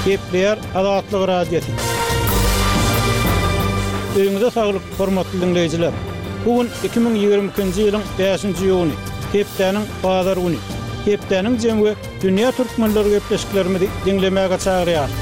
Gepleýär Azatlyk Radiosy. Öýüňize saglyk, hormatly diňleýjiler! Bu gün 2022-nji ýylyň bäşinji iýuny, hepdäniň bazar güni. Hepdäniň jemi we dünýä türkmenleri gepleşiklerimizi diňlemäge çagyrýarys.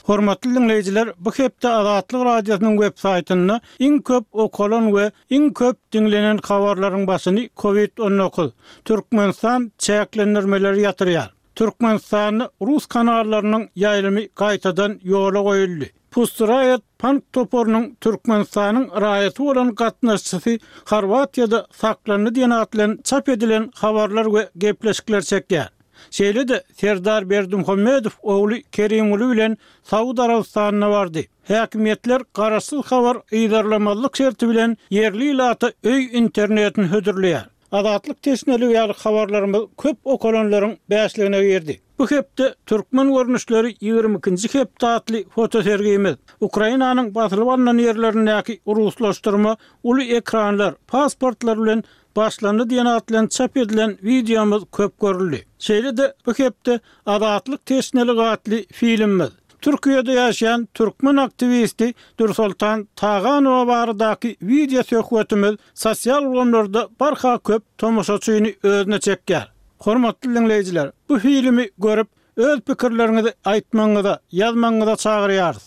Hormatly diňleýjiler, bu hepde Azatlyk Radiosynyň web saýtynda iň köp okalan we iň köp diňlenen habarlaryň başyny Covid 19, Türkmenistan çäklendirmeleri ýatyrýar, Türkmenistanda rus kanallarynyň ýaýlymy gaýtadan ýola goýuldy, Pussy Riot pank toparynyň Türkmenistanyň raýaty bolan gatnaşyjysy Horwatiýada saklandy diýen at bilen çap edilen habarlar we gepleşikler çekýär. Şeýle-de Serdar Berdimuhamedow ogly Kerimguly bilen Saud Arabystanyna bardy. Häkimiýetler garaşsyz habar yzarlamazlyk şerti bilen ýerli ilata öý internetini hödürleýär. Azatlyk teşneligi ýaly habarlarymyz köp okalanlaryň bäşligine girdi. Bu hepde Türkmen görnüşleri 22-nji hepde atly fotosergimiz, Ukrainanyň basylyp alnan ýerlerindäki ruslaşdyrma uly ekranlar, pasportlar bilen başlandy diýen at bilen çap edilen wideomyz köp görüldi. Şeýle-de bu hepde Azatlyk teşneligi atly filmimiz, Türkiýede ýaşaýan türkmen aktiwisti Dürsoltan Taganowa baradaky wideo söhbetimiz sosial ulgamlarda barha köp tomaşaçyny özüne çekýär. Hormatly diňleýjiler, bu filmi görüp, Öz pikirleriňizi aýtmagyňyza, ýazmagyňyza çagyrýarys.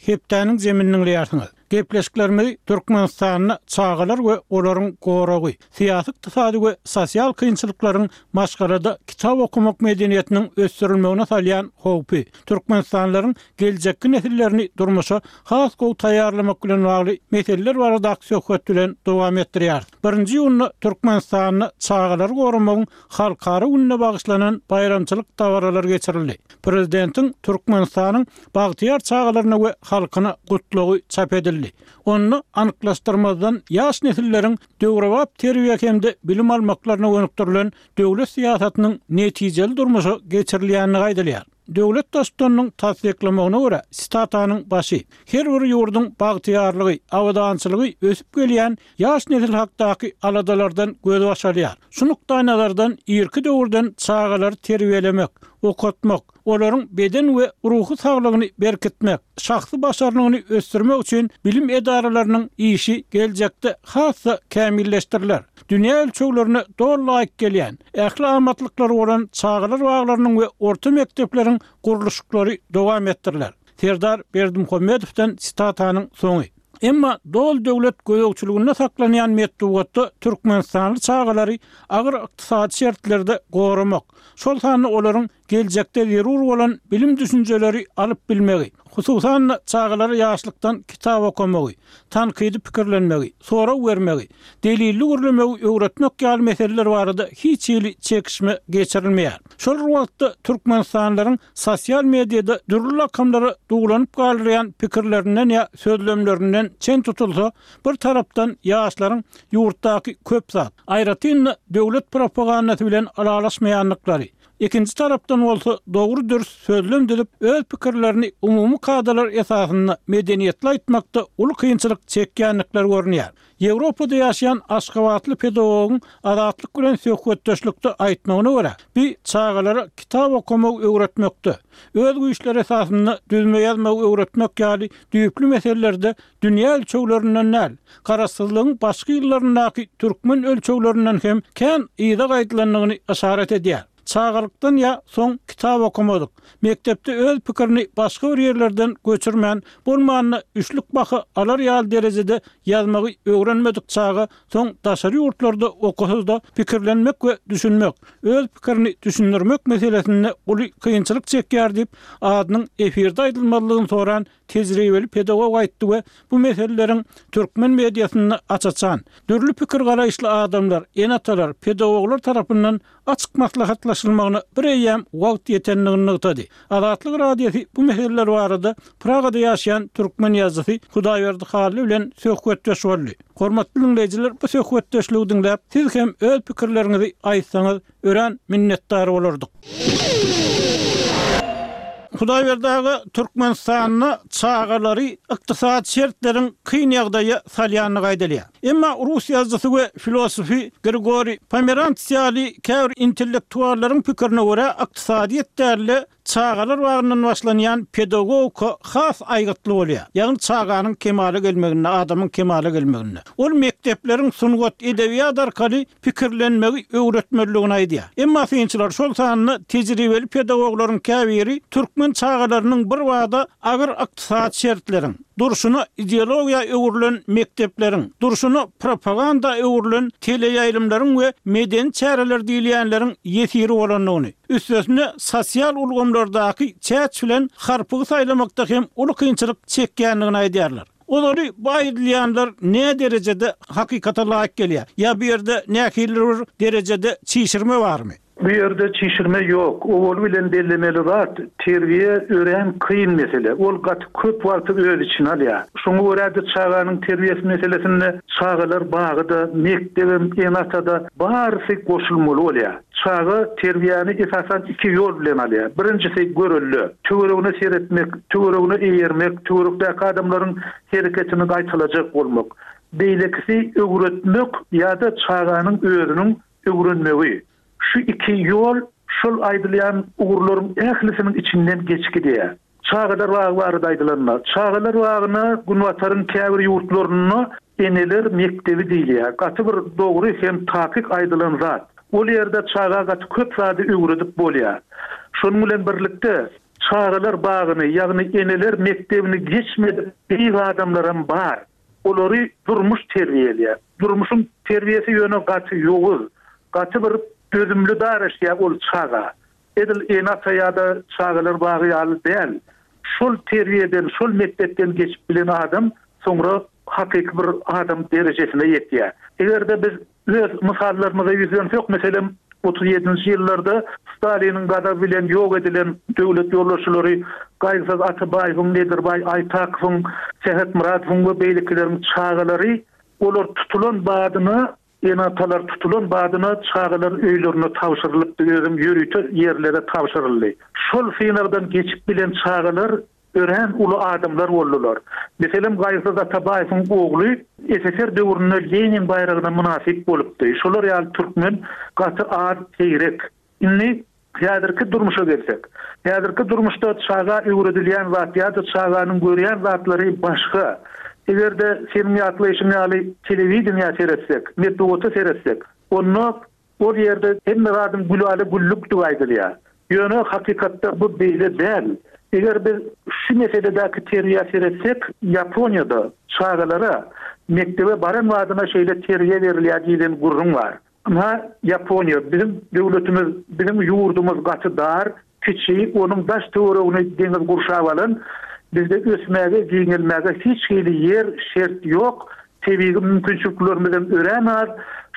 Hepdäniň jemini diňleýärsiňiz. Gepleşiklerimizi Türkmenistanda çagalar we olaryň goragy, syýasy-ykdysady we sosial kynçylyklaryň maşgalada kitap okamak medeniýetiniň ösdürilmegine salýan howpy, türkmenistanlylaryň geljekki nesillerini durmuşa has gowy taýýarlamak bilen bagly meseleler baradaky söhbet bilen dowam etdirýäris. Birinji iýunda Türkmenistanda çagalary goramagyň Halkara gününe bagyşlanan baýramçylyk dabaralary geçirildi. Prezidentiň Türkmenistanyň bagtyýar çagalaryna we halkyna Gutlagy çap edildi. Onda anyklaşdyrmazdan ýaş nesilleriň döwrebap terbiýe hem-de bilim almaklaryna gönükdirilen döwlet syýasatynyň netijeli durmuşa geçirilýändigi aýdylýar. Döwlet Baştutanynyň tassyklamagyna görä, sitatanyň başy, Her bir ýurduň bagtyýarlygy, abadançylygy ösüp gelýän ýaş nesil hakdaky aladalardan gözbaş alýar. Şu nukdaýnazardan irki döwürden çagalary terbiýelemek, okatmak, olaryň beden we ruhy saglygyny berkitmek, şahsy başarnygyny ösdürmek üçin bilim edaralarynyň işi geljekde has-da kämilleşdiriler. Dünýä ölçeglerine doly laýyk gelýän, ähli amatlyklary bolan çagalar baglarynyň we orta mekdepleriň gurluşyklary dowam etdiriler. Serdar Berdimuhamedowdan sitatanyň soňy. Emma doly döwlet gözegçiliginde saklanýan metbugatda türkmenistanly çagalary agyr ykdysady şertlerde goramak, şol sanda olaryň geljekde zerur bolan bilim-düşünjeleri alyp bilmegi, hususan-da, çagalara ýaşlykdan kitap okamagy, tankydy pikirlenmegi, sorag bermegi, delilli gürlemegi öwretmek ýaly meseleler barada hiç hili çekişme geçirilmeýär. Şol bir wagtda, türkmenistanlylaryň sosial mediada dürli lakamlara duwlanyp galdyrýan pikirlerinden ýa sözlemlerinden çen tutulsa, bir tarapdan ýaşlaryň ýurtdaky köp zat, aýratyn-da, döwlet propagandasy bilen ylalaşmaýandyklary, Ikinji tarapdan bolsa dogry-dürs sözlem düzüp, öz pikirlerini umumy kadalar esasynda medeniýetli aýtmakda uly kynçylyk çekýändikleri görünýär. Ýewropada ýaşaýan aşgabatly pedagogyň Azatlyk bilen söhbetdeşlikde aýtmagyna görä, bi çagalara kitap okamagy öwretmekde, öz güýçleri esasynda düzme ýazmagy öwretmek ýaly düýpli meselelerde dünýä ölçeglerinden däl, garaşsyzlygyň başky ýyllaryndaky türkmen ölçeglerinden hem kän yza gaýdylandygyny yşarat edýär. Çagalykdan ýa soň kitap okamadyk, mekdepde öz pikirini başga bir ýerlerden göçürmän, bolmanda üçlük baha alar ýaly derejede ýazmagy öwrenmedik çaga soň daşary ýurtlarda okasa-da pikirlenmek we düşünmek, öz pikirini düşündirmek meselesinde uly kynçylyk çekýär diýip, adynyň efirde aýdylmazlygyny soran tejribeli pedagog aýtdy we bu meseleleriň türkmen mediasynda aç-açan, dürli pikir-garaýyşly adamlar, ene-atalar, pedagoglar tarapyndan açyk maslahatlaşylmagyna bireýýäm wagt ýetendigini nygtady. Azatlyk Radiosy bu meseleler barada Pragada ýaşaýan türkmen ýazyjysy Hudaýberdi Hally bilen söhbetdeş boldy. Hormatly diňleýjiler, bu söhbetdeşligi diňläp, siz hem öz pikirleriňizi aýtsaňyz, örän minnetdar bolardyk. Hudaýberdi aga, Türkmenistanda çagalary ykdysady şertleriň kyn ýagdaýa salýandygy aýdylýar. Emma rus ýazyjysy we filosofy Grigoriý Pomerants ýaly käbir intellektuallaryň pikirine görä, ykdysadyýet däl-de, çagalar bagyndan başlanýan pedagogika has aýgytly bolýar. Ýagny çaganyň kemala gelmeginde, adamyň kemala gelmeginde. Ol mekdepleriň sungat, edebiýat arkaly pikirlenmegi öwretmelidigini aýdýar. Emma synçylar, şol sanda tejribeli pedagoglaryň käbiri türkmen çagalarynyň birbada agyr ykdysady şertleriň, durşuna ideologiýa öwrülen mekdepleriň, durşuna propaganda öwrülen teleýaýlymlaryň we medeni çäreler diýilýänleriň ýesiri bolandygyny, üstesine sosial ulgamlardaky çäç bilen harpygy saýlamakda hem uly kynçylyk çekýändigini aýdýarlar. Ozaly bu aýdylýanlar näderejede hakykata laýyk gelýär ýa bu ýerde nähilidir bir derejede çişirme barmy? Bu ýerde çişirme ýok. Owaly bilen bellemeli zat, terbiýe örän kyn mesele. Ol gaty köp wagty öz içine alýar. Şoňa görä-de çaganyň terbiýesi meselesinde çagalar bagy-da, mekdebem, ene-ata-da barysy goşulmaly bolýar. Çaga terbiýäni esasan iki ýol bilen alýar. Birinjisi görelde. Töweregine seretmek, töweregine eýermek, töwerekdäki adamlaryň hereketini gaýtalajak bolmak. Beýlekisi öwretmek ýa-da çaganyň özüniň öwrenmegi. Şu iki ýol şol aýdylýan ugurlaryň ählisiniň içinden geçip gidýär. Çagalar bagy barada aýdylanda, çagalar bagyna Günbataryň käbir ýurtlarynda eneler mekdebi diýilýär. Gaty bir dogry hem takyk aýdylan zat. Ol ýerde çaga gaty köp zady öwredip bolýar. Şonuň bilen birlikde, çagalar bagyny, ýagny eneler mekdebini geçmedik beýik adamlaram bar. Olary durmuş terbiýeleýär. Durmuşyň terbiýesi ýöne gaty ýowuz, gaty bir dözümli daraşýar ol çaga. Edil ene-ata ýa-da çagalar bagy ýaly däl. Şol terbiýeden, şol mekdepden geçip bilen adam soňra hakyky bir adam derejesine ýetýär. Eger-de biz öz mysallarymyza ýüzlensek, meselem, 37-nji ýyllarda Staliniň gazaby bilen ýok edilen döwlet ýolbaşçylary Gaýgysyz Atabaýewiň, Nedirbaý Aýtakowyň, Sähetmyradowyň we beýlekileriň çagalary, olar tutulan badyna Ene-atalar tutulan badyna çagalar öýlerine tabşyrylypdy, özem ýörite ýerlere tabşyryldy. Şol synagdan geçip bilen çagalar örän uly adamlar boldular. Meselem, Gaýgysyz Atabaýewiň ogly SSR döwründe Lenin baýragyna mynasyp bolupdy. Şolar ýaly türkmen gaty az, seýrek. Indi häzirki durmuşa gelsek. Häzirki durmuşda çaga öwredilýän zat ýa-da çaganyň görýän zatlary başga. Eger-de seniň ýatlaýşyň ýaly telewideniýä seretsek, metbugata seretsek, onda ol ýerde hemme zadyň gülala-güllükdigi aýdylýar. Ýöne hakykatda bu beýle däl. Eger biz şu meseledäki terbiýä seretsek, Ýaponiýada çagalara mekdebe baran badyna şeýle terbiýe berilýär diýlen gürrüň bar. Ynha, Ýaponiýa, biziň döwletimiz, biziň ýurdumyz gaty dar, kiçi, onuň daş-töweregini deňiz gurşap alan, bizde ösmäge, giňelmäge hiç hili ýer, şert ýok, tebigy mümkinçiliklerimizem örän az,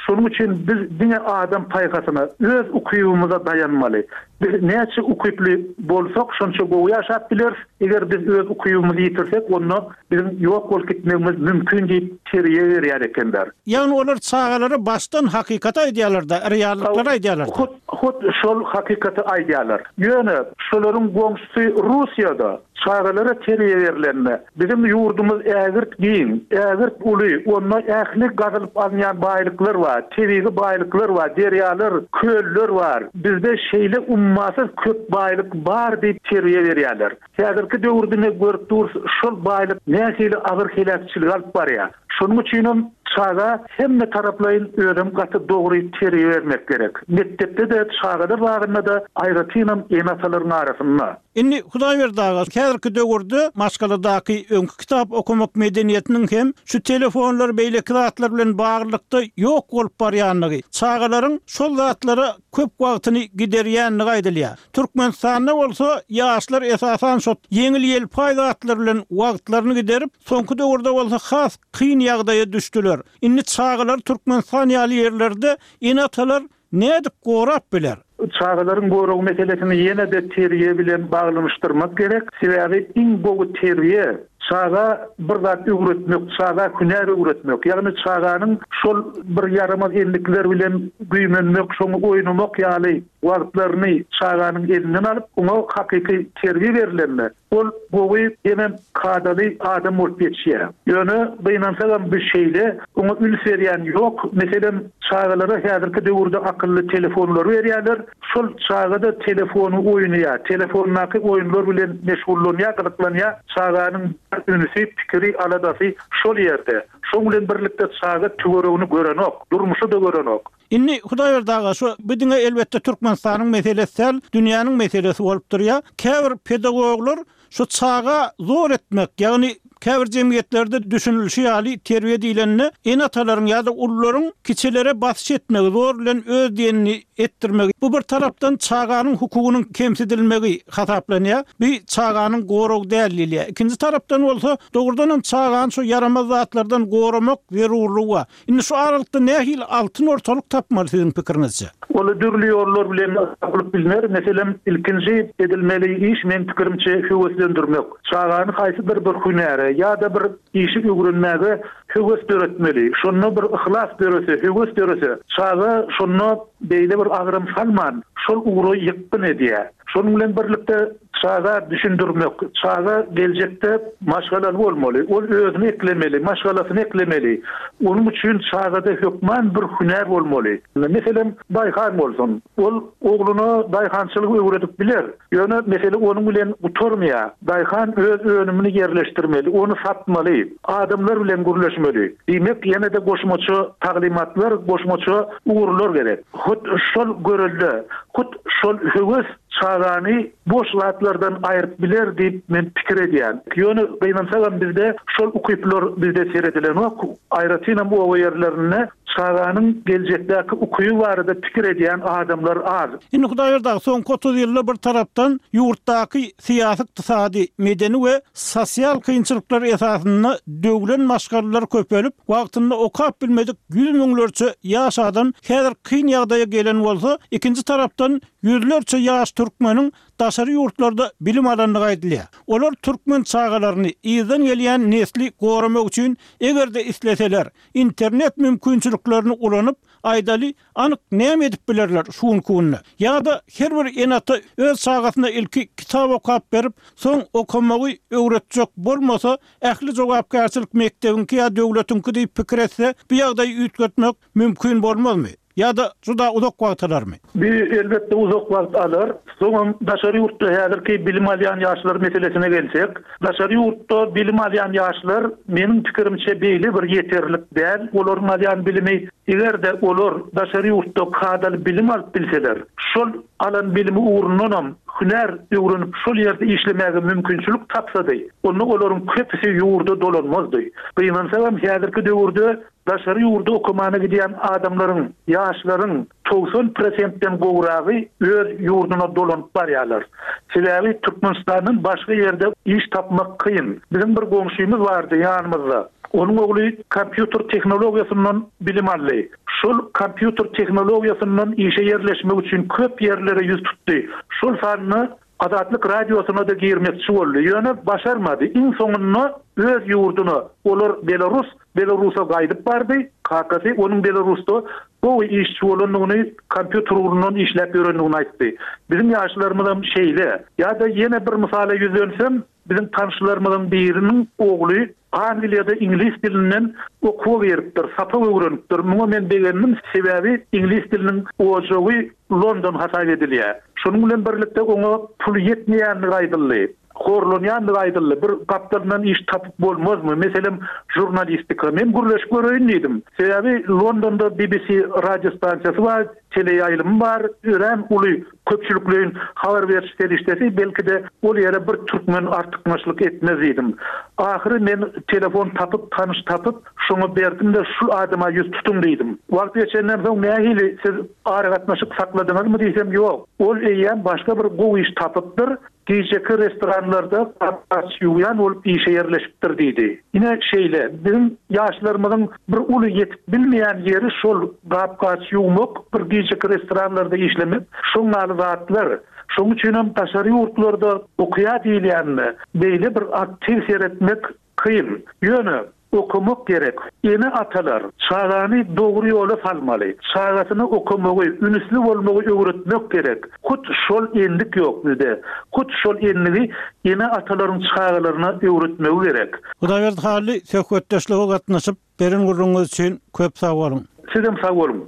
şonuň üçin biz diňe adam paýhasyna, öz ukybymyza daýanmaly. Biz näçe ukyply bolsak, şonça gowy ýaşap bileris, eger biz öz ukybymyzy ýitirsek, onda biziň ýok bolup gitmegimiz mümkin diýip terbiýe berýär ekenler. Ýagny olar çagalara başdan hakykaty aýdýarlar-da, reallyklary aýdýarlar-da. Hut, hut şol hakykaty aýdýarlar. Ýöne şolaryň goňşusy Russiýada çagalara terbiýe berlende, biziň ýurdumyz ägirt giň, ägirt uly, onda ähli gazylyp alynýan baýlyklar bar, tebigy baýlyklar bar, derýalar, köller bar, bizde şeýle ummasyz köp baýlyk bar diýip terbiýe berýärler. Häzirki döwürde ine görüp durus, şol baýlyk nähili agyr heläkçilige alyp barýar. Şonuň üçinem çaga hemme taraplaýyn özem gaty dogry terbiýe bermek gerek. Mekdepde-de, çagalar bagynda-da, aýratynam ene-atalaryň arasynda. Indi Hudaýberdi aga, häzirki döwürde maşgaladaky öňki kitap okamak medeniýetiniň hem şu telefonlar, beýleki zatlar bilen baglylykda ýok bolup barýandygy, çagalaryň şol zatlara köp wagtyny giderýändigi aýdylýar. Türkmenistanda bolsa ýaşlar esasan şo ýeňil-ýelpaý zatlar bilen wagtlaryny giderip, soňky döwürde bolsa has kyn ýagdaýa düşdüler. Indi çagalary Türkmenistan ýaly ýerlerde ene-atalar nädip gorap biler? Çagalaryň goragy meselesini ýene-de terbiýe bilen baglanyşdyrmak gerek. Sebäbi iň gowy terbiýe, çaga bir zat öwretmek, çaga hünär öwretmek. Ýagny çaganyň şol bir ýaramaz endikler bilen güýmenmek, şoňa oýnamak ýaly wagtlaryny çaganyň elinden alyp, oňa hakyky terbiýe berlende, Ol gowy hemem kadaly adam bolup ýetişýär. Ýöne, gynansagam bu şeýle, oňa üns berýän ýok. Meselem, çagalara häzirki döwürde akylly telefonlary berýärler. Şol çaga-da telefony oýnaýar, telefondaky oýunlar bilen meşgullanýar, gyzyklanýar. Çaganyň bar ünsi, pikiri, aladasy şol ýerde. Şoň bilen birlikde çaga töweregini görenok, durmuşy-da görenok. Indi Hudaýberdi aga şu bu diňe elbetde Türkmenistanyň meselesi däl, dünýäniň meselesi bolup durýar. Käbir pedagoglar şu çaga zor etmek, ýagny käbir jemgyýetlerde düşünilişi ýaly terbiýe diýlende ene-atalaryň ýa-da ulularyň kiçilere basyş etmegi, zor bilen öz diýenini etdirmegi, bu bir tarapdan çaganyň hukugynyň kemsidilmegi hasaplanýar. Bu çaganyň goragy däl diýilýär. Ikinji tarapdan bolsa dogrudanam çagany şu ýaramaz zatlardan goramak zerurlygy bar. Indi şu aralykda nähili altyn ortalyk tapmaly siziň pikiriňizçe? Ol dürli ýollar bilen tapylyp bilner. Meselem, ilkinji edilmeli iş meň pikirimçe höweslendirmek. Çagany haýsydyr bir hünäre ýa-da bir işi öwrenmäge höwes döretmeli. Şonda bir yhlas dörese, höwes dörese, çaga şonda beýle bir agram salman, şol ugra ýykgyn edýär. Şonuň bilen birlikde Çaga düşündirmek, çaga geljekde maşgalaly bolmaly, ol özüni eklemeli, maşgalasyny eklemeli. Onuň üçin çagada hökman bir hünär bolmaly. Meselem, daýhan bolsun. Ol ogluna daýhançylygy öwredip biler. Ýöne mesele onuň bilen gutarmaýar. Daýhan öz önümini ýerleşdirmeli, ony satmaly, adamlar bilen gürleşmeli. Diýmek, ýene-de goşmaça taglymatlar, goşmaça ugurlar gerek. Hut şol görelde, hut şol höwes Çagany boş zatlardan aýryp biler diýip men pikir edýän. Ýöne gynansagam bizde şol ukyplar bizde seredilenok. Aýratynam oba ýerlerinde çaganyň geljekdäki ukyby barada pikir edýän adamlar az. Indi Hudaýberdi aga soňky 30 ýylda bir tarapdan ýurtdaky syýasy-ykdysady, medeni we sosial kynçylyklar esasynda döwlen maşgalalar köpelip, wagtynda okap bilmedik ýüz müňlerçe ýaş adam häzir kyn ýagdaýa gelen bolsa, ikinji tarapdan Ýüzlerçe ýaş türkmeniň daşary ýurtlarda bilim alandygy aýdylýar. Olar türkmen çagalaryny, yzdan gelýän nesli goramak üçin, eger-de isleseler, internet mümkinçiliklerini ulanyp, aýdaly, anyk näme edip bilerler şu günki günde? Ýa-da her bir ene-ata öz çagasyna ilki kitap okap berip, soň okamagy öwretjek bolmasa, ähli jogapkärçilik mekdebiňki ýa döwletiňki diýip pikir etse, bu ýagdaýy üýtgetmek mümkin bolmazmy? Ýa-da juda uzak wagt alarmy? Bu, elbetde, uzak wagt alar. Soňam daşary ýurtda häzirki bilim alýan ýaşlar meselesine gelsek, daşary ýurtda bilim alýan ýaşlar, meniň pikirimçe, beýle bir ýeterlik däl. Olaryň alýan bilimi, eger-de olar daşary ýurtda kadaly bilim alyp bilseler, şol alan bilimi ugrundanam hünär öwrenip, şol ýerde işlemäge mümkinçilik tapsady, onda olaryň köpüsi ýurda dolanmazdy. Gynansagam, häzirki döwürde Daşary ýurda okamana gidýän adamlaryň, ýaşlaryň 90 prosentden gowragy öz ýurduna dolanyp barýarlar. Sebäbi Türkmenistandan başga ýerde iş tapmak kyn. Biziň bir goňşymyz bardy ýanymyzda. Onuň ogly kompýuter tehnologiýasyndan bilim aldy. Şol kompýuter tehnologiýasyndan işe ýerleşmek üçin köp ýerlere ýüz tutdy. Şol sanda Azatlyk Radiosyna-da girmekçi boldy, ýöne başarmady. Iň soňunda öz ýurduna, olar belarus, Belarusa gaýdyp bardy. Kakasy onuň Belarusda gowy işçi bolandygyny, kompýuter ugrundan işläp ýörendigini aýtdy. Biziň ýaşlarymyzam şeýle. Ýa-da ýene bir mysala ýüzlensem, biziň tanyşlarymyzyň biriniň ogly Angliýada iňlis dilinden okuwa giripdir, sapak öwrenipdir. Muňa men begendim, sebäbi iňlis diliniň ojagy London hasap edilýär. Şonuň bilen birlikde oňa pul ýetmeýändigi aýdyldy. Horlanýandygy aýdyldy. Bir gapdalyndan iş tapyp bolmazmy? Meselem, žurnalistika. Men gürleşip göreýin diýdim. Sebäbi Londonda BBC radiostansiýasy bar, teleýaýlymy bar, örän uly köpçülikleýin habar beriş serişdesi, belki-de, ol ýere bir türkmen artykmaçlyk etmez diýdim. Ahyry men telefon tapyp, tanyş tapyp, şoňa berdim-de, şul adama ýüz tutuň diýdim. Wagt geçenden soň nähili, siz aragatnaşyk sakladyňyzmy diýsem, ýok. Ol eýýäm başga bir gowy iş tapypdyr, Gijeki restoranlarda gap-gaç ýuwýan bolup işe ýerleşipdir diýdi. Ine, şeýle, biziň ýaşlarymyzyň bir uly ýetip bilmeýän ýeri şol gap-gaç ýuwmak, bir gijeki. Kiçijik restoranlarda işlemek, şoň ýaly zatlar. Şoň üçinem daşary ýurtlarda okaýar diýilýänine beýle bir aktiw seretmek kyn. Ýöne okamak gerek. Ene-atalar çagany dogry ýola salmaly. Çagasyna okamagy, ünüsli bolmagy öwretmek gerek. Hut şol endik ýok bizde. Hut şol endigi ene-atalaryň çagalaryna öwretmegi gerek. Hudaýberdi Hally söhbetdeşlige gatnaşyp, beren gürrüňiňiz üçin köp sag boluň. Sizem sag boluň.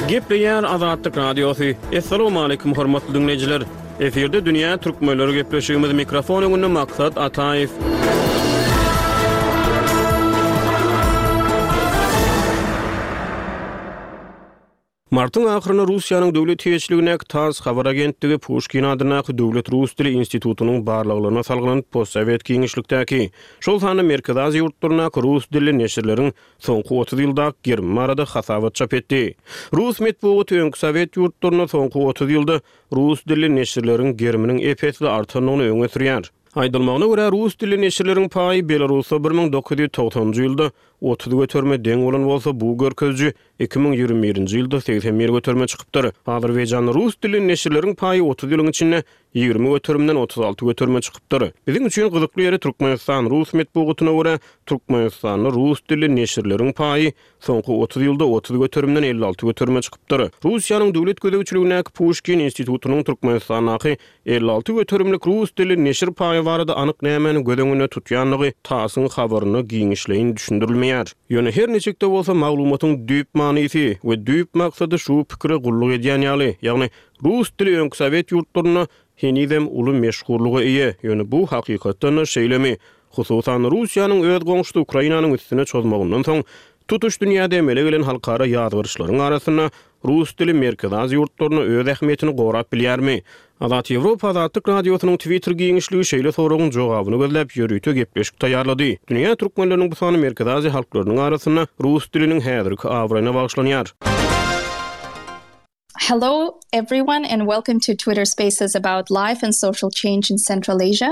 Gepleýär Azatlyk Radiosy. Assalamualaikum hormatly diňleýjiler. Efirde dünýä türkmenleri gepleşigimiz mikrofon öňünde Maksat Ataýew. Martyň ahyrynda Russiýanyň döwlet eýeçiligindäki tass habar agentligi Puşkin adyndaky Döwlet rus dili institutynyň barlaglaryna salgylanyp, postsowet giňişlikdäki, şol sanda Merkezi Aziýa ýurtlaryndaky rus dilli neşirleriň soňky 30 ýyldaky gerimi barada hasabat çap etdi. Rus metbugaty öňki sowet ýurtlarynda soňky 30 ýylda rus dilli neşirleriň geriminiň ep-esli artandygyny öňe sürýär. Aýdylmagyna görä, rus dilli neşirleriň paýy Belarusda 1990-njy ýylda 30 göterime deň bolan bolsa, bu görkeziji 2021-nji ýylda 81 göterime çykypdyr. Azerbaýjanda rus dilli neşirleriň paýy 30 ýylyň içinde 20 göterimden 36 göterime çykypdyr. Biziň üçin gyzykly ýeri Türkmenistan rus metbugatyna görä, Türkmenistanda rus dilli neşirleriň paýy soňky 30 ýylda 30 göterimden 56 göterime çykypdyr. Russiýanyň döwlet gözegçiligindäki Puşkin institutynyň Türkmenistandaky 56 göterimlik rus dilli neşir paýy barada anyk nämäni göz öňünde tutýandygy TASS-yň habarynda giňişleýin düşündirilmeýär. Ýöne her niçik-de bolsa maglumatyň düýp manysy we düýp maksady şu pikire gulluk edýän ýaly, ýagny rus dili öňki sowet ýurtlarynda henizem uly meşhurlyga eýe, ýöne bu hakykatdan-da şeýlemi? Hususan, Russiýanyň öz goňşusy Ukrainanyň üstüne çozmagyndan soň, tutuş dünýäde emele gelen halkara ýazgaryşlaryň arasynda rus dili Merkezi Aziýa ýurtlarynda öz ähmiýetini gorap bilýärmi? Azat Ýewropa Azatlyk Radiosynyň Twitter giňişligi şeýle soragyň jogabyny gözläp ýörite gepleşik taýýarlady. Dünýä türkmenleriniň bu sany Merkezi Aziýa halklarynyň arasynda rus diliniň häzirki abraýyna bagyşlanýar. Hello everyone and welcome to Twitter Spaces about life and social change in Central Asia.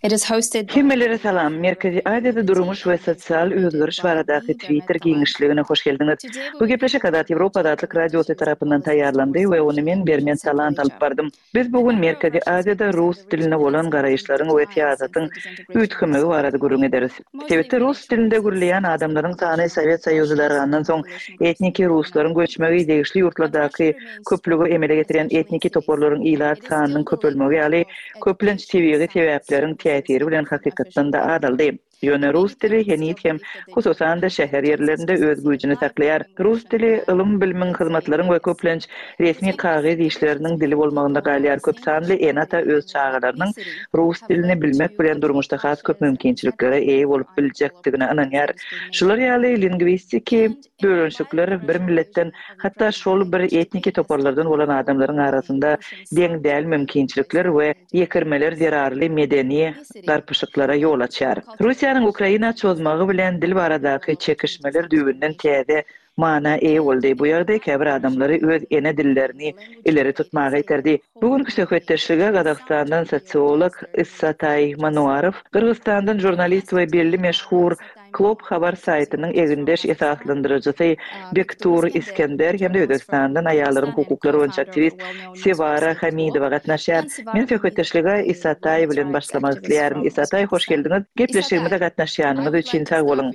It is hosted Hemmelere salam! Merkezi Aziýada durmuş we sosial özgeriş baradaky Twitter giňişligine hoş geldiňiz. Bu gepleşik Azat Ýewropa Azatlyk Radiosy tarapyndan taýýarlandy we ony men Bermet Talant alyp bardym. Biz bu gün Merkezi Aziýada rus diline bolan garaýyşlaryň we syýasatyň üýtgemegi barada gürrüň ederis. Sebitde rus dilinde gürleýän adamlaryň sany Sowet Soýuzy dargandan soň etniki ruslaryň göçmegi, degişli ýurtlardaky köplügi emele getirýän etniki toparlaryň ilat sanynyň köpelmegi ýaly köplenç tebigy sebäpleriň täsiri bilen hakykatdan-da azaldy. Ýöne rus dili heniz hem, hususan-da, şäher ýerlerinde öz güýjüni saklaýar. Rus dili ylym-bilimiň, hyzmatlaryň we köplenç resmi kagyz işleriniň dili bolmagynda galýar. Köp sanly ene-ata öz çagalarynyň rus dilini bilmek bilen durmuşda has köp mümkinçiliklere eýe bolup biljekdigine ynanýar. Şular ýaly lingwistiki bölünişikler bir milletden, hatda şol bir etniki toparlardan bolan adamlaryň arasynda deň däl mümkinçilikler we ýekirmeler zerarly medeni garpyşyklara ýol açýar. Russiýanyň Ukraina çozmagy bilen dil baradaky çekişmeler düýbünden täze mana eýe boldy. Bu ýagdaý käbir adamlary öz ene dillerini ileri tutmaga iterdi. Bu günki söhbetdeşlige Gazagystandan sosiolog Issataý Manuarow, Gyrgyzystandan žurnalist we belli meşhur Klopp habar saýtynyň egindeş esaslandyryjysy Bektur Iskender hem-de Özbegistandan aýallaryň hukuklary boýunça aktiwist Sewara Hamidowa gatnaşýar. Men söhbetdeşlige Isataý bilen başlamak isleýärin. Isataý, hoş geldiňiz! Gepleşigimize gatnaşýanyňyz üçin sag boluň!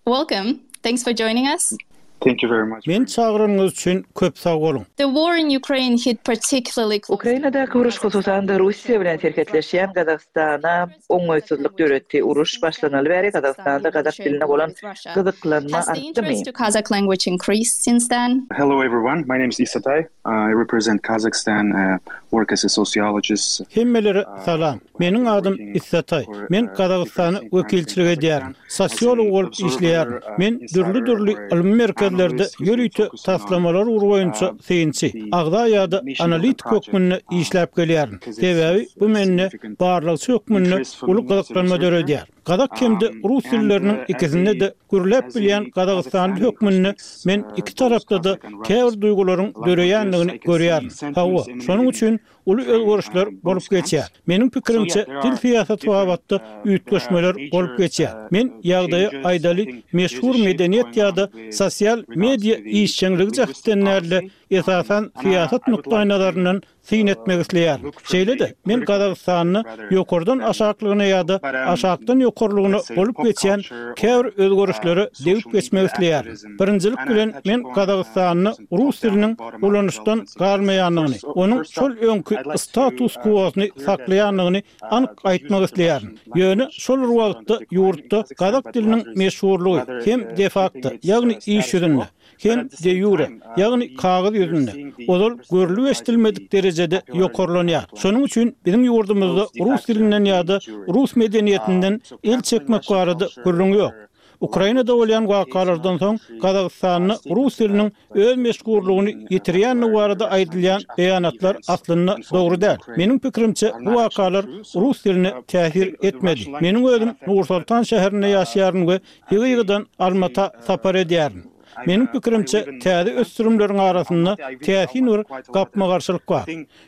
Welcome. Thanks for joining us. Thank you very much. Meni çagyranyňyz üçin köp sag boluň. The war in Ukraine hit particularly close to home. Ukrainadaky uruş, hususan-da, Russiýa bilen serhetleşýän Gazagystana oňaýsyzlyk döretdi. Uruş başlanaly bäri Gazagystanda gazak diline bolan gyzyklanma Has the artdymy? interest to Kazakh language increased since then? Hello everyone, my name is Isatay. I represent Kazakhstan, work as a sociologist. Hemmelere salam. Meniň adym Issataý. Men Gazagystana wekilçilik edýärin. Sosiolog bolup işleýärin. Men dürli-dürli ylmy merkezlerde ýörite taslamalar ugry boýunça synçy, agza ýa-da analitik hökmünde işläp gelýärin. Sebäbi bu mende barlagçy hökmünde uly gyzyklanma döredýär. Gazak hem-de rus dilleriniň ikisinde-de gürläp bilýän gazagystanly hökmünde men iki tarapda-da käbir duýgularyň döreýändigini görýärin. Hawa, şonuň üçin uly özgerişler bolup geçýär. Meniň pikirimçe, dil syýasaty babatda üýtgeşmeler bolup geçýär. Men ýagdaýa aýdaly meşhur medeniýet ýa-da sosial media işjeňligi jähtden däl-de, esasan syýasat nukdaýnazaryndan syn etmek isleýärin. Şeýle-de, men Gazagystanda ýokardan aşaklygyna ýa-da aşakdan ýokarlygyna bolup geçýän käbir özgerişlere degip geçmek isleýärin. Birinjilik bilen, men Gazagystanda rus diliniň ulanyşdan galmaýandygyny, onuň şol öňki status-kwosyny saklaýandygyny anyk aýtmak isleýärin. Ýöne şol bir wagtda ýurtda gazak diliniň meşhurlygy hem de-fakto, ýagny iş ýüzünde, hem de-ýure, ýagny kagyz ýüzünde, ozal görlüp-eşidilmedik derejede ýokarlanýar. Şonuň üçin biziň ýurdumyzda rus dilinden ýa-da rus medeniýetinden el çekmek barada gürrüň ýok. Ukrainada bolýan wakalardan soň Gazagystanda rus diliniň öz meşhurlygyny ýitirýändigi barada aýdylýan beýanatlar aslynda dogry däl. Meniň pikirimçe, bu wakalar rus diline täsir etmedi. Meniň özüm Nur-Soltan şäherinde ýaşaýaryn we ýygy-ýygydan Almata sapar edýärin. Meniň pikirimçe, täze ösdürimleriň arasynda täsin bir gapma-garşylyk bar.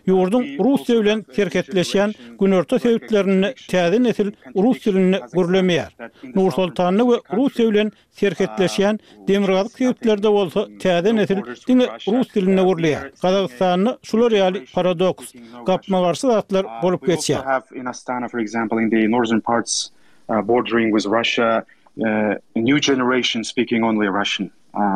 Ýurduň Russiýa bilen serhetleşýän günorta sebitlerinde täze nesil rus dilinde gürlemeýär. Nur-Sultanda we Russiýa bilen serhetleşýän demirgazyk sebitlerde bolsa täze nesil diňe rus dilinde gürleýär. Gazagystanda şular ýaly paradoks, gapma-garşy zatlar bolup geçýär. Bordering with Russia, new generation speaking only Russian.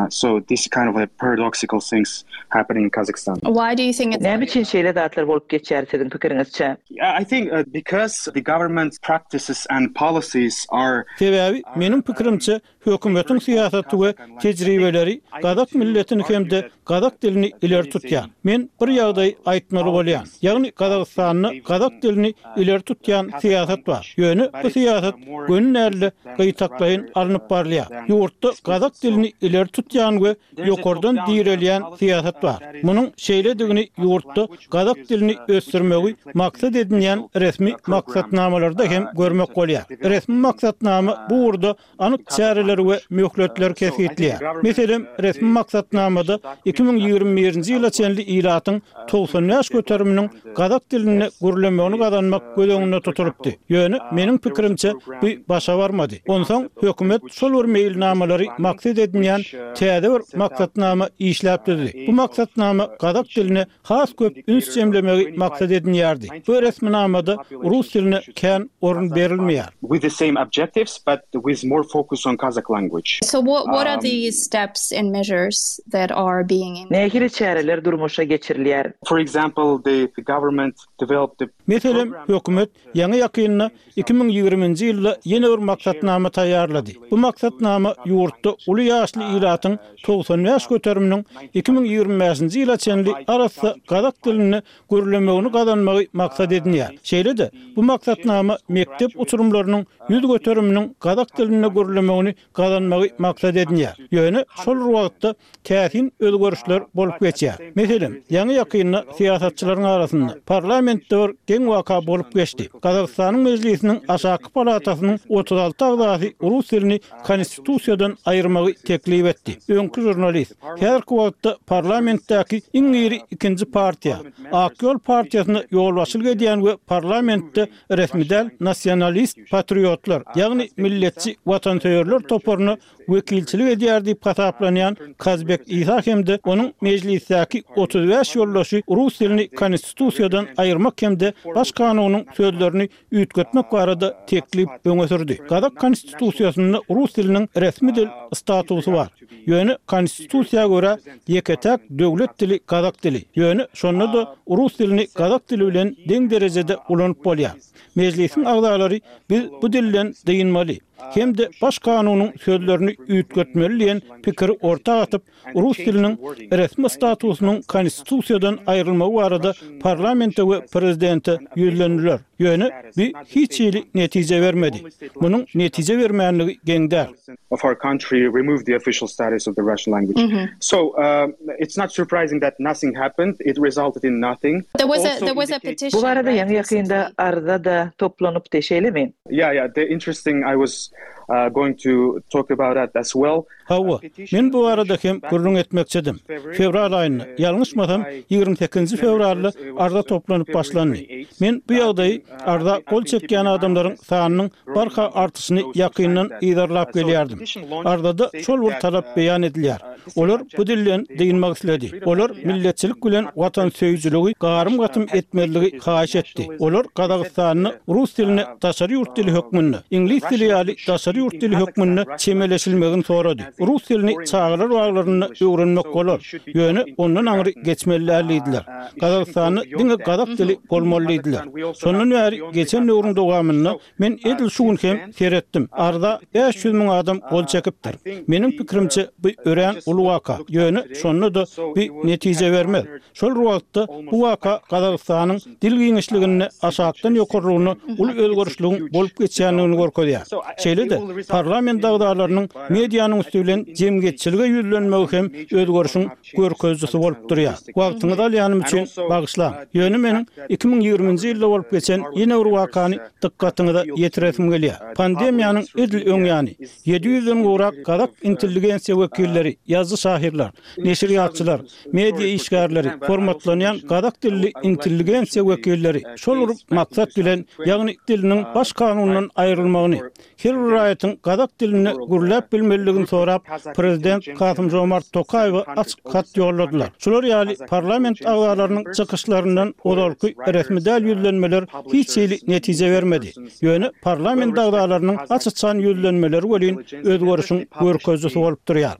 So this kind of a paradoxical things happening in Kazakhstan. Why do you think it's Näme üçin şeýle zatlar bolup geçýär siziň pikiriňizçe? Yeah, I think because the government practices and policies are Sebäbi, meniň pikirimçe, hökümetiň syýasaty we tejribeleri gazak milletini hem-de gazak dilini ileri tutýar. Men bir ýagdaýy aýtmaly bolýan. Ýagny Gazagystanda gazak dilini ileri tutýan syýasat bar. Ýöne bu syýasat göni däl-de, gytaklaýyn alnyp barylýar. Ýurtda gazak dilini ileri tutýan we ýokardan direlýän syýasat bar. Munuň şeýledigini ýurtda gazak dilini ösdürmegi maksat edinýän resmi maksatnamalarda hem görmek bolýar. Resmi maksatnama bu ugurda anyk çäreleri we möhletleri kesgitleýär. Meselem, resmi maksatnamada 2021-nji ýyla çenli ilatyň 95 göteriminiň gazak dilinde gürlemegini gazanmak göz öňünde tutulypdy. Ýöne, meniň pikirimçe, bu başa barmady. Onsoň hökümet şol bir meýilnamalary maksat edinýän täze bir maksatnama işläp düzdi. Bu maksatnama gazak diline has köp üns jemlemegi maksat edinýärdi. Bu resminamada rus diline kän orun berilmeýär. With the same objectives but with more focus on Kazakh language. So what what are the steps and measures that are being implemented? Nähili çäreler durmuşa geçirilýär? For example, the government developed a Meselem, hökümet ýaňy-ýakynda 2020-nji ýylda ýene bir maksatnama taýýarlady. Bu maksatnama ýurtda uly ýaşly ilatyň 95 göteriminiň 2025-nji ýyla çenli arassa gazak dilinde gürlemegini gazanmagy maksat edinýär. Şeýle-de, bu maksatnama mekdep uçurymlarynyň 100 göteriminiň gazak dilinde gürlemegini gazanmagy maksat edinýär. Ýöne şol bir wagtda täsin özgerişler bolup geçýär. Meselem, ýaňy-ýakynda syýasatçylaryň arasynda, parlamentde bir geň waka bolup geçdi. Gazagystanyň Mejlisiniň aşaky palatasynyň 36 agzasy rus dilini konstitusiýadan aýyrmagy teklip etdi. Öňki žurnalist, häzirki wagtda parlamentdäki iň iri ikinji partiýa, Ak ýol partiýasyna ýolbaşçylyk edýän we parlamentde resmi däl nasionalist patriotlar, ýagny milletçi watansöýerler toparyna wekilçilik edýär diýip hasaplanýan Kazbek Isa hem-de onuň Mejlisdäki 35 ýoldaşy rus dilini konstitusiýadan aýyrmak hem-de Baş kanunyň sözlerini üýtgetmek barada teklip öňe sürdi. Gazak konstitusiýasynda rus diliniň resmi dil statusy bar. Ýöne konstitusiýa görä ýeke-täk döwlet dili gazak dili. Ýöne şonda-da rus dilini gazak dili bilen deň derejede ulanyp bolýar. Mejlisiň agzalary biz bu dilden dynmaly hem-de Baş kanunyň sözlerini üýtgetmeli diýen pikiri orta atyp, rus diliniň resmi statusynyň konstitusiýadan aýrylmagy barada parlamente we prezidente ýüzlendiler. Ýöne bu hiç hili netije bermedi. Munuň netije bermänligi geň däl. Of our country removed the official status of the Russian language. So it's not surprising that nothing happened, it resulted in nothing. There was a there was a petition. Bu barada ýaňy-ýakynda arza-da toplanypdy, şeýlemi? Yeah, yeah, the interesting I was going to talk about that as well. Hawa, men bu barada hem gürrüň etmekçidim. Fewral aýynda, ýalňyşmasam, 28-nji fewralda arza toplanyp başlandy. Men bu ýagdaýy arza gol çekýän adamlaryň sanynyň barha artyşyny ýakyndan yzarlap gelýärdim. Arzada şol bir talap beýan edilýär. Olar bu dilden dynmak isledi. Olar milletçilik bilen watansöýüjiligi garym-gatym etmezligi haýyş etdi. Olar Gazagystanda rus diline daşary ýurt dili hökmünde, iňlis dili ýaly daşary ýurt dili hökmünde çemeleşilmegini sorady. Rus dilini çagalar baglarynda öwrenmek bolar, ýöne ondan aňry geçmeli däl diýdiler. Gazagystanda diňe gazak dili bolmaly diýdiler. Şondan bäri geçen döwrüň dowamynda men edil şu gün hem seretdim, arza 500 müň adam gol çekipdir. Meniň pikirimçe, bu örän uly waka, ýöne şonda-da bu netije bermez. Şol bir wagtda, bu waka Gazagystanyň dil giňişliginde aşakdan ýokarlygyna uly özgerişligiň bolup geçýändigini görkezýär. Şeýle-de, parlament agzalarynyň medianyň üsti bilen jemgyýetçilige ýüzlenmegi hem özgerişiň görkezijisi bolup durýar. Wagtyňyzy alýanym üçin bagyşlaň. Ýöne meniň 2020-nji ýylda bolup geçen ýene bir wakany dykgatyňyza ýetiresim gelýär. Pandemiýanyň edil öň ýany, 700-den gowrak gazak intelligensiýa wekilleri, ýazyjy-şahyrlar, neşirýatçylar, media işgärleri, hormatlanýan gazak dilli intelligensiýa wekilleri şol bir maksat bilen, ýagny diliniň baş kanundan aýrylmagyny, her bir raýatyň gazak dilinde gürläp bilmelidigini sorap, prezident Kasym-Žomart Tokaýewe açyk hat ýolladylar. Şular ýaly parlament agzalarynyň çykyşlaryndan ozalky resmi däl ýüzlenmeler hiç hili netije bermedi. Ýöne parlament agzalarynyň aç-açan ýüzlenmeleri welin özgerişiň görkezijisi bolup durýar.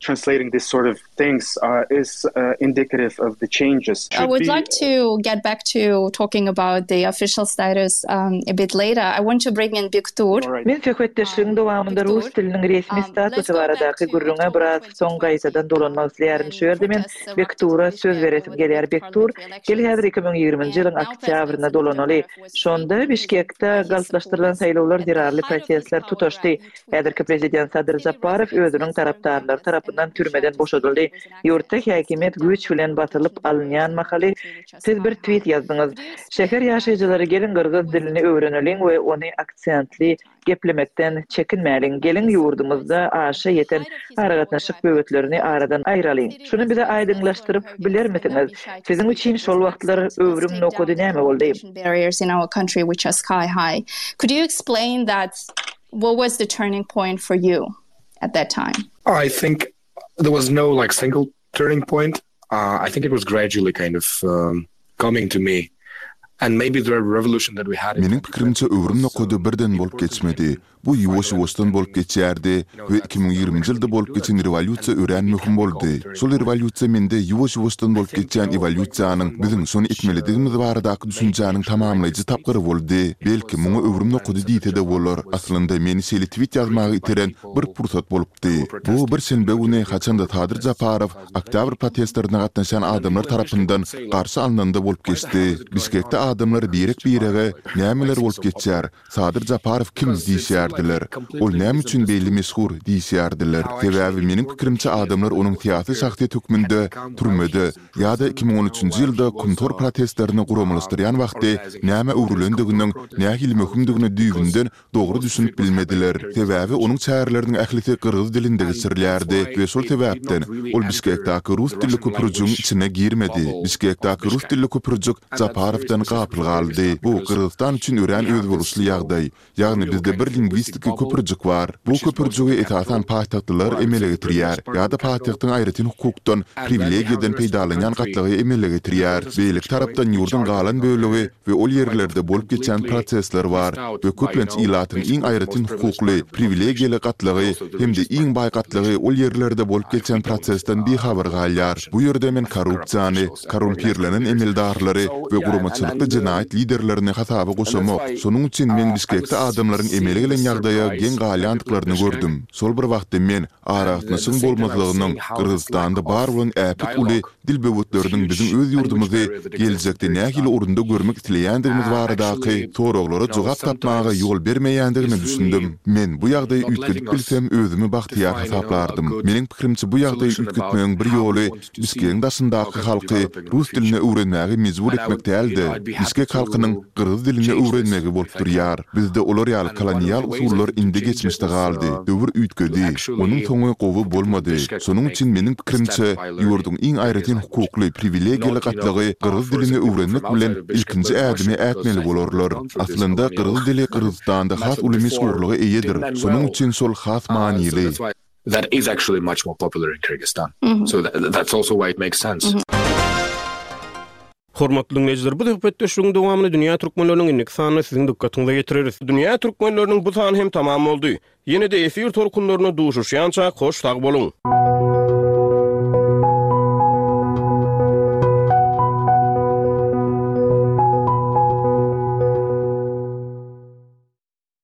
Things is indicative of the changes. I would like to get back to talking about the official status a bit later. I want to bring in Bektur. Men söhbetdeşligiň dowamynda rus diliniň resmi statusy baradaky gürrüňe biraz soň gaýtadan dolanmak isleýärin. Şu ýerde men Bektura söz beresim gelýär. Bektur, gel häzir 2020-nji ýylyň oktýabryna dolanaly. Şonda Bişkekde galplaşdyrylan saýlawlar zerarly protestler tutaşdy. Häzirki prezident Sadyr Japarow özüniň tarapdarlary tarapyndan türmeden boşadyldy. Ýurtda häkimiýet güýç bilen basylyp alynýan mahaly siz bir twit ýazdyňyz, Şäher ýaşaýjylary geliň gyrgyz dilini öwreneliň we ony aksentli geplemekden çekinmäliň, geliň ýurdumyzda aşa ýeten aragatnaşyk böwetlerini aradan aýralyň. Şuny bize aýdyňlaşdyryp bilermisiňiz? Siziň üçin şol wagtlar öwrüm nokady näme boldy? What was the turning point for you at that time? I think there was no like single turning point. Uh, I think it was gradually kind of um, coming to me. And maybe the revolution that we had Meniň pikirimçe öwrüm nokady birden bolup geçmedi. Bu ýuwaş-ýuwaşdan bolup geçýärdi we 2020-nji ýylda bolup geçen rewolýusiýa örän möhüm boldy. Şol rewolýusiýa mende ýuwaş-ýuwaşdan bolup geçýän ewolýusiýanyň biziň şony etmelidigimiz baradaky düşünjäniň tamamlaýjy tapgyry boldy. Belki, muňa öwrüm nokady diýse-de bolar. Aslynda, meni şeýle twit ýazmaga iteren bir pursat bolupdy. Bu bir şenbe güni, haçan-da Sadyr Japarow oktýabr protestlerine gatnaşýan adamlar tarapyndan garşy alnanda bolup geçdi. Bişkekde adamlar birek-birege Nämeler bolup geçýär? Sadyr Japarow kim? diýişýärdiler. Ol näme üçin beýle meşhur? diýişýärdiler. Sebäbi, meniň pikirimçe, adamlar onuň syýasy şahsyýet hökmünde türmede ýa-da 2013-nji ýylda Kumtor protestlerini guramalaşdyrýan wagty nämä öwrülendiginiň nähili möhümdigine düýbünden dogry düşünip bilmediler. Sebäbi onuň çäreleriniň ählisi gyrgyz dilinde geçirilýärdi we şol sebäpden ol Bişkekdäki rus dilli köpürjigiň içine girmedi. Bişkekdäki rus dilli köpürjik Japarowdan gapyl galdy. Bu Gyrgyzystan üçin örän özboluşly ýagdaý. Ýagny bizde bir lingwistiki köpürjik bar. Bu köpürjigi esasan paýtagtlylar emele getirýär ýa-da paýtagtyň aýratyn hukukdan, priwilegiýadan peýdalanýan gatlagy emele getirýär. Beýleki tarapdan ýurduň galan bölegi we ol ýerlerde bolup geçýän prosesler bar we köplenç ilatyň iň aýratyn hukukly, priwilegiýaly gatlagy hem-de iň baý gatlagy ol ýerlerde bolup geçýän prosesden bihabar galýar. Bu ýerde men korrupsiýany, korrumpirlenen emeldarlary we guramaçylykly. Bişkekde jenaýat liderlerini hasaba goşamok. Şonuň üçin men Bişkekde adamlaryň emele gelen ýagdaýa geň galýandyklaryny gördüm. Şol bir wagtda men aragatnaşygyň bolmazlygynyň Gyrgyzystanda bar bolan äpet uly dil böwetleriniň biziň öz ýurdumyzy geljekde nähili orunda görmek isleýändigimiz baradaky soraglara jogap tapmaga ýol bermeýändigine düşündim. Men bu ýagdaýy üýtgedip bilsem özümi bagtyýar hasaplardym. Meniň pikirimçe bu ýagdaýy üýtgetmegiň bir ýoly Bişkegiň daşyndaky halky rus dilini öwrenmäge mejbur etmek däl-de, bişkek halkynyň gyrgyz dilini öwrenmegi bolup durýar. Bizde olar ýaly kolonial usullar indi geçmişde galdy. Döwür üýtgedi. Onuň soňy gowy bolmady. Şonuň üçin meniň pikirimçe, ýurduň iň aýratyn hukukly, priwilegiýaly gatlagy gyrgyz dilini öwrenmek bilen ilkinji ädimi ätmeli bolarlar. Aslynda gyrgyz dili Gyrgyzystanda has uly meşhurlyga eýedir, şonuň üçin şol has manyly. That is actually much more popular in Kyrgyzstan. So that's also why it makes sense. Hormatly diňleýjiler, bu söhbetdeşligiň dowamyny Dünýä Türkmenleriniň indiki sanynda siziň dykgatyňyza ýetireris. Dünýä Türkmenleriniň bu sany hem tamam boldy. Ýene-de efir tolkunlarynda duşuşýançak hoş sag boluň!